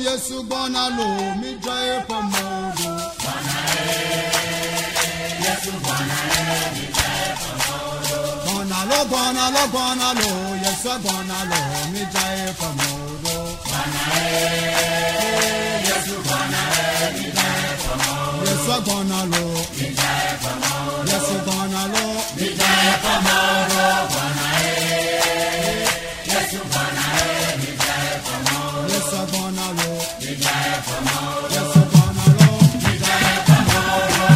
Yesu gbɔna lo, midzra eƒe mɔwo ɖo. Gbɔna lo, gbɔna lo, gbɔna lo, Yesu gbɔna lo, midzra eƒe mɔwo ɖo. Yesu gbɔna lo, Yesu gbɔna lo, Yesu gbɔna lo, Yesu gbɔna lo, gbɔna lo, gbɔna lo, gbɔna lo, Yesu gbɔna lo, midzra eƒe mɔwo ɖo.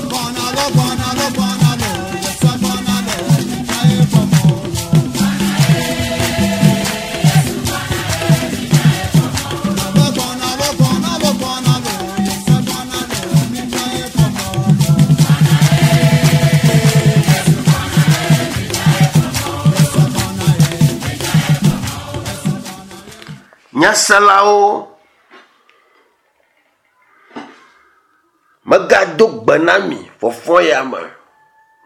Gbɔna lo, gbɔna lo, gbɔna lo, Yesu gbɔna lo, midzra eƒe mɔwo ɖo. Yesu gbɔna ye. Nyaselawo, megado gbe na mi fɔfɔ ya me.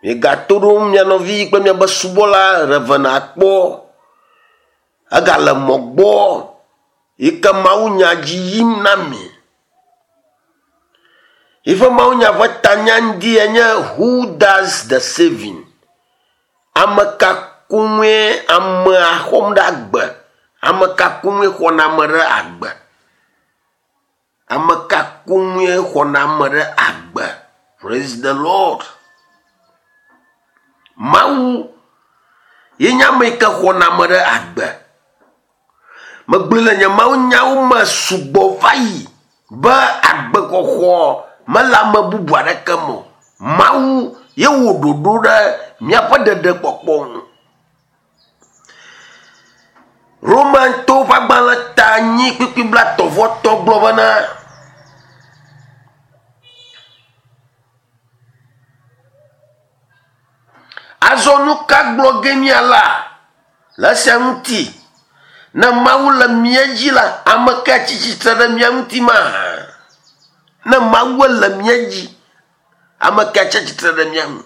Miegato ɖo mia nɔvi kple miabe subɔla Reverend Akpɔ. Egale mɔ gbɔ yi ke mawunya dzi yim na mi. Yiƒe mawunya ƒe tanya ŋdi enye Who does the saving? Ame ka koŋue amea xɔm ɖe agbe? Ame ka koŋue xɔna ame ɖe agbe? Ame ka koŋue xɔna ame ɖe agbe? Praise the Lord. Mawu ye nye ame yi ke xɔna ame ɖe agbe. Megblɔe le nye mawunyawo me sugbɔ va yi be agbexɔxɔ mele ame bubu aɖeke me o. Mawu ye wɔ ɖoɖo ɖe míaƒe ɖeɖekpɔkpɔ ŋu. Romantɔwo ƒe agbalẽ ta nyi kpukpui blaetɔ̃ vɔ etɔ̃ gblɔ bena Azɔ nu ka gblɔ ge míala le esia ŋuti? Ne Mawu le mía dzi la, ame kae tsi tsitre ɖe mía ŋuti mahã? Ne Mawu le mía dzi, ame kae tsi tsitre ɖe mía ŋu?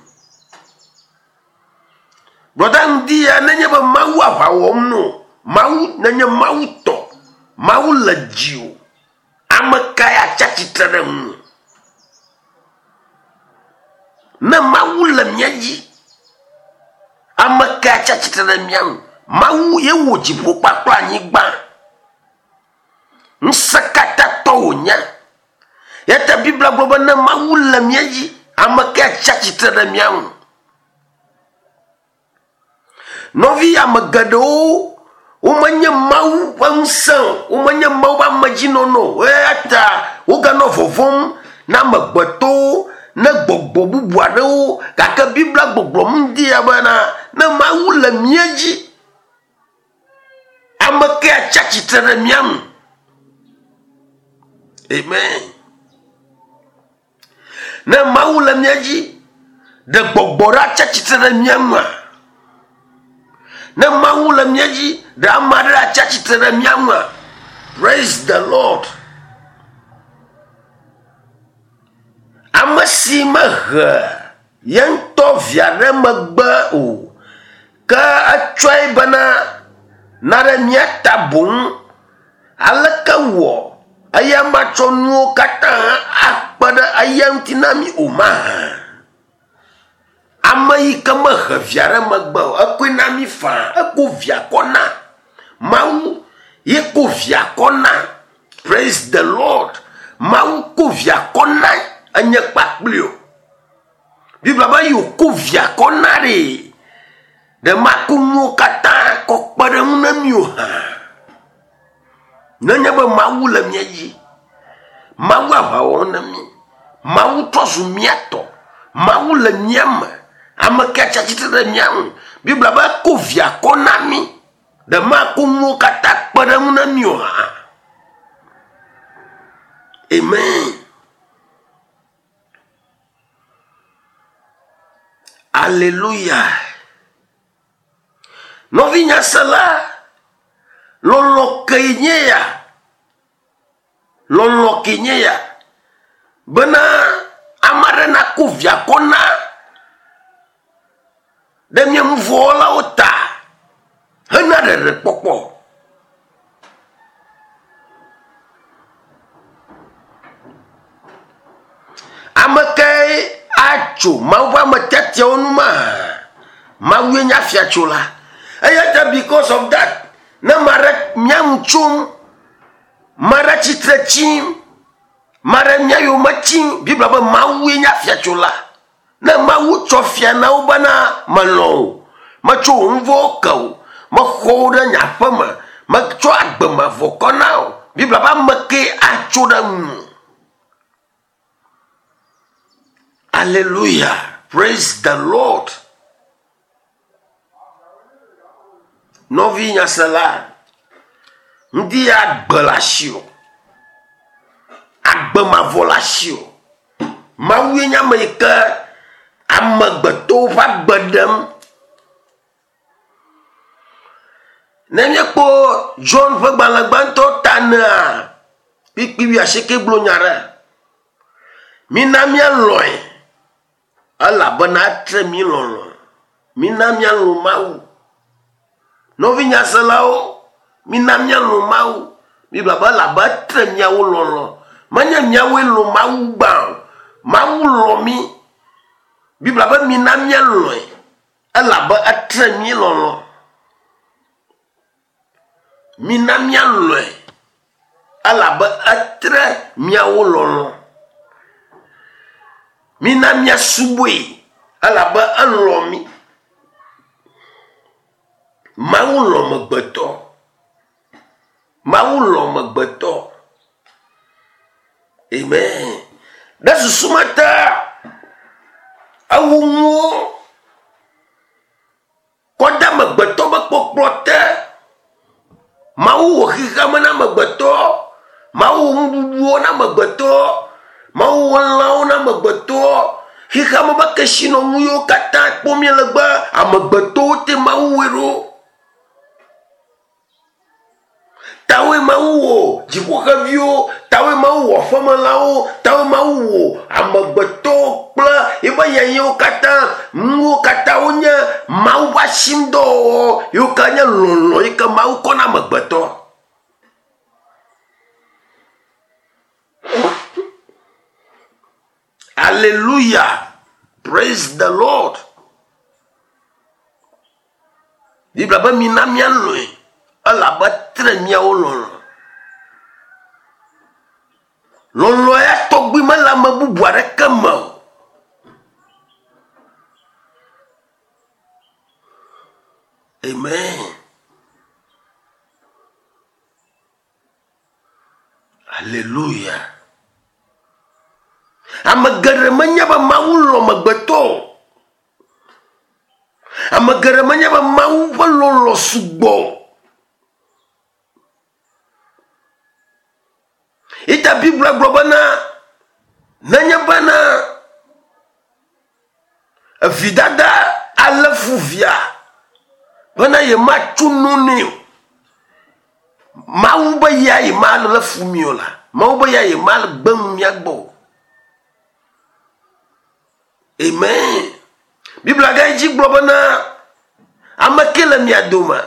Brɔda ŋdi ya nenye be Mawu aʋa wɔm no, Mawu nenye Mawu tɔ, Mawu le dziwò, ame kae atsi atsitre ɖe ŋuwò? Ne Mawu le mía dzi, ame kae atsi atsitre ɖe mía ŋu? Mawu ye wɔ dziƒo kpakple anyigba. Ŋusẽkatãtɔ wònye. Eya ta Biblia gblɔ be ne Mawu le mía dzi, ame kae atsi atsitre ɖe mía ŋu? Nɔvi ame geɖewo womenye Mawu ƒe ŋusẽ o, womenye Mawu ƒe amedzinɔnɔ o eya ta woganɔ vɔvɔ̃m na amegbetɔwo ne gbɔgbɔ bubu aɖewo gake Biblia gbɔgblɔm ŋdi ya bena ne Mawu le mía dzi, ame kae atsi atsitre ɖe mía ŋu? Amen. Ne Mawu le mía dzi, ɖe gbɔgbɔ ɖe atsi atsitre ɖe mía ŋua? Ne Mawu le mía dzi, ɖe ame aɖe atsi atsitre ɖe mía ŋua? Praise the Lord. Ame si mehe ye ŋutɔ via ɖe megbe o, ke etsɔe bena na ɖe mía ta boŋ. Aleke wɔ eya matsɔ nuwo katã akpe ɖe eya ŋuti na mí o mahã? Ame yi ke mehe via ɖe megbe o, ekɔe na mí faa, eko via kɔ na. Mawu ye ko via kɔ na. Praise the Lord. Mawu ko via kɔ na enye kpakpli o. Biblia be yi wòko via kɔ na ɖee, ɖe mako nuwo katã kɔ kpe ɖe eŋu na mí o hã. Nenye be Mawu le mía dzi, Mawu aʋa wɔm na mí, Mawu trɔ zu mía tɔ, Mawu le mía me, ame ke tsi atsitre ɖe mía ŋu. Biblia be eko via kɔ na mí, ɖe mako nuwo katã kpe ɖe eŋu na mí o hã. Amen. Aleluya. Nɔvi nyasela, lɔlɔ̃ kee nye ya. Lɔlɔ̃ kee nye ya. Bena ame aɖe nako via kɔ na ɖe mía nu vɔ̃ wɔlawo ta. ɖeɖekpɔkpɔ. Ame kae atso Mawu ƒe ame tiatiawo nu mahã? Mawue nye afiatsola. Eya ta because of that, ne ame aɖe mía ŋu tsom, ame aɖe tsitre tsim, ame aɖe mía yome tsim, Biblia be Mawue nye afiatsola. Ne Mawu tsɔ fia na wo bena melɔ̃ wò, metsɔ wò nu vɔ̃wo ke wò, mexɔ wò ɖe nye aƒe me, metsɔ agbe mavɔ kɔ na wò. Biblia be ame kee atso ɖe ŋu. Aleluya. Praise the Lord. Nɔvi nyasela, ŋdi ya agbe le asiwò. Agbe mavɔ le asiwò. Mawue nye ame yi ke amegbetɔwo ƒe agbe ɖem. Ne míekpɔ John ƒe gbalẽ gbãtɔ ta enea, kpukpui wuiasieke gblɔ nya ɖe. Mina míalɔ̃e elabena etre mí lɔlɔ̃. Mina míalɔ̃ Mawu. Nɔvi nyaselawo, mina míalɔ̃ Mawu. Biblia be elabe etre míawo lɔlɔ̃. Menye míawoe lɔ̃ Mawu gbã o. Mawu lɔ̃ mí. Biblia be mina míalɔ̃e elabe etre mí lɔlɔ̃. Mina míalɔ̃e elabe etre míawo lɔlɔ̃. Mina míasubɔe elabe elɔ̃ mí. Mawu lɔ̃ amegbetɔ. Mawu lɔ̃ amegbetɔ. Amen. Ɖe susu me ta ewu nuwo kɔ de amegbetɔ ƒe kpɔkplɔ te. Mawu wɔ xexea me na amegbetɔ. Mawu wɔ nuɖuɖuwo na amegbetɔ. Mawu wɔ lãwo na amegbetɔ. Xexea me ƒe kesinɔnu yiwo katã kpɔm míele be amegbetɔwo te Mawu wɔe ɖo. Tawoe Mawu wɔ dziƒoxeviwo, tawoe Mawu wɔ aƒemelãwo, tawoe Mawu wɔ amegbetɔwo kple eƒe yayrawo katã. Nuwo katã wonye Mawu ƒe asinudɔwɔwɔ yiwo ke nye lɔlɔ̃ yi ke Mawu kɔ na amegbetɔ. Aleluya! Praise the Lord. Biblia be mina míalɔ̃e elabe tre míawo lɔlɔ̃. Lɔlɔ̃ ya tɔgbi mele ame bubu aɖeke me o. Amen. Aleluya. Ame geɖe menya be Mawu lɔ̃ amegbetɔ o. Ame geɖe menya be Mawu ƒe lɔlɔ̃ sugbɔ o. Eya Biblia gblɔ bena nenye bena Evidada alé fu via bena yematso no nɛ o. Mawu be ya yemalé fu mi o la, Mawu be ya yemagbe nu mía gbɔ o. Amen. Biblia gayi dzi gblɔ bena ame ke le mia dome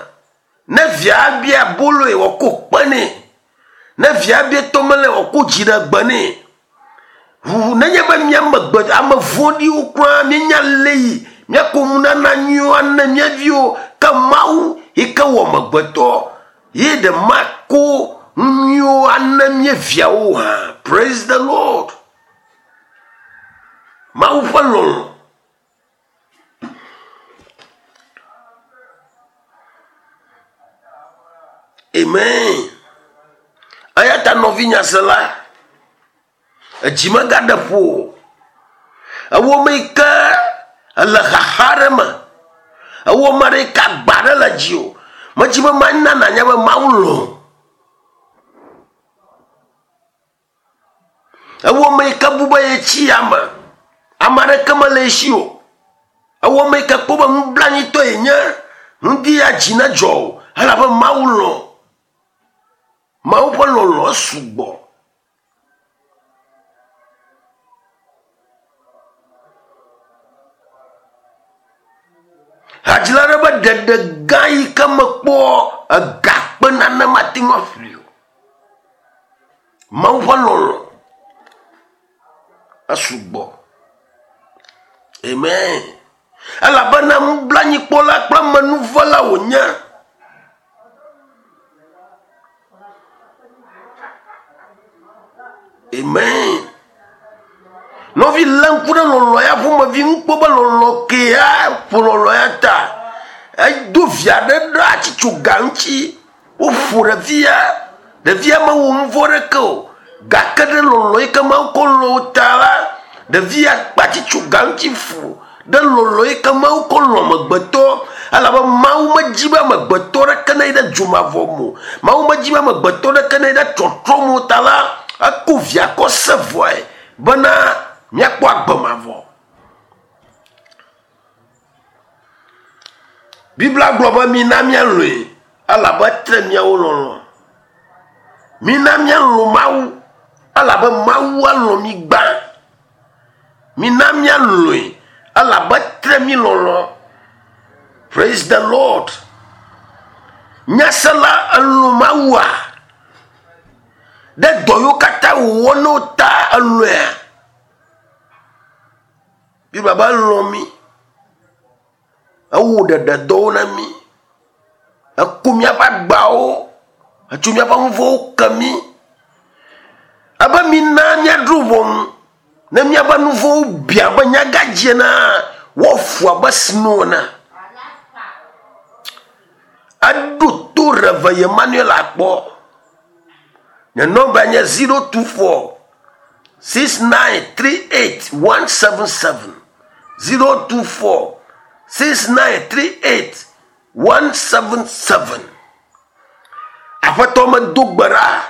ne via bia aboloe wòako kpe nɛ. Ne via bia tɔmelẽ wòako dziɖegbe nɛ. Ʋuʋu nenye be mía megbe ame vɔ̃ɖiwo kura míenya lé yi míako nunana nyuiwo ane mía viwo ke Mawu yi ke wɔ amegbetɔ ye ɖe mako nu nyuiwo ane mía viawo hã. Praise the Lord. Mawu ƒe lɔlɔ̃. Amen. Eya ta nɔvi nyasela, edzi megaɖe ƒo o. Ewɔ ame yi ke ele xaxa aɖe me. Ewɔ ame aɖe yi ke agba aɖe le dziwò. Medzi be mana nànya be Mawu lɔ̃ wò. Ewɔ ame yi ke bu be yetsi yame, ame aɖeke mele ye si o. Ewɔ ame yi ke kpɔ be nublanuitɔ yenye, ŋdi ya dzi nedzɔ o elabe Mawu lɔ̃. Mawu ƒe lɔlɔ̃ sugbɔ. Hadzila aɖe be ɖeɖe gã yi ke mekpɔ. Ega kpe nane mate ŋu aƒli o. Mawu ƒe lɔlɔ̃ esugbɔ. Amen. Elabena nublanuikpɔla kple amenuvela wònye. Amen. Nɔvi lé ŋku ɖe lɔlɔ̃ ya ƒomevi ŋu kpɔ be lɔlɔ̃ kea ƒo lɔlɔ̃ ya ta. Edo via ɖe ɖe atsitsoga ŋuti. Woƒo ɖevia. Ɖevia mewɔ nu vɔ̃ ɖeke o gake ɖe lɔlɔ̃ yi ke Mawu kɔ lɔ̃ wo ta la, ɖevia kpe atsitsoga ŋuti fu ɖe lɔlɔ̃ yi ke Mawu kɔ lɔ̃ amegbetɔ elabe Mawu medi be amegbetɔ ɖeke neyi ɖe dzomavɔ me o. Mawu medi be amegbetɔ ɖeke neyi ɖe tsɔtrɔ me o ta la, eko via kɔ se vɔe bena míakpɔ agbe mavɔ. Biblia gblɔ be mina míalɔ̃e elabe etre míawo lɔlɔ̃. Mina míalɔ̃ Mawu elabe Mawu alɔ̃ mí gbã. Mina míalɔ̃e elabe etre mí lɔlɔ̃. Praise the Lord. Nyasela elɔ̃ Mawua? Ɖe dɔ yiwo katã wòwɔ na wò ta elɔ̃ea? Biblia be elɔ̃ mí. Ewɔ ɖeɖedɔwo na mí. Eku míaƒe agbawo, etso míaƒe nu vɔ̃wo ke mí. Ebe mina míaɖo ʋɔnu ne míaƒe nu vɔ̃wo bi abe nyagadzi enea, woafu abe sno ene. Eɖo to Rev. Emmanuel akpɔ. Nye nɔmba nye 024 6938 177 024 6938 177. Aƒetɔ medo gbe ɖa,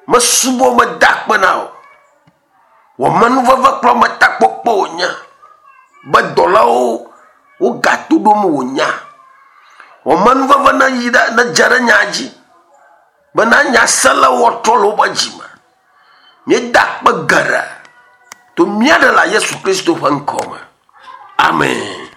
mesubɔ meda akpe na wò. Wò amenuveve kple ametakpɔkpɔ wònye be dɔlawo wogato ɖom wò nya. Wò amenuveve neyi ɖe nedze ɖe nya dzi bena nyaselawo woatrɔ le woƒe dzi me. Míeda akpe geɖe to mía Ɖela Yesu Kristo ƒe ŋkɔ me. Amen.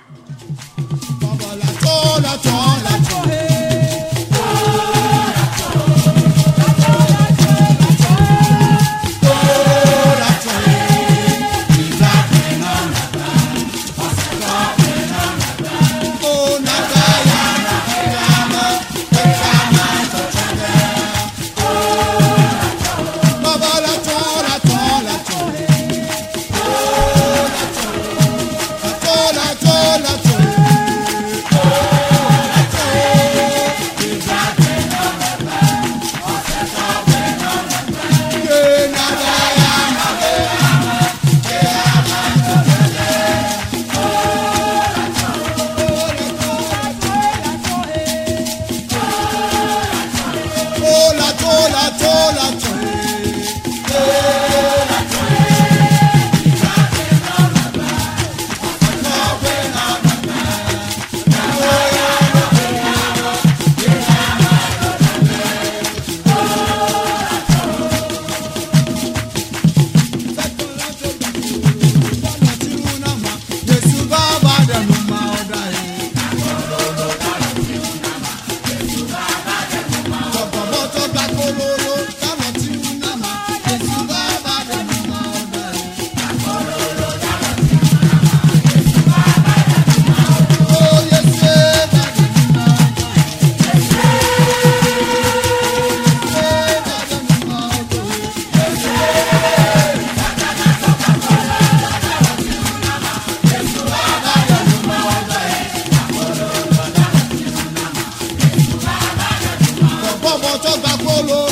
Bọ́bọ̀ tó gbà kóló.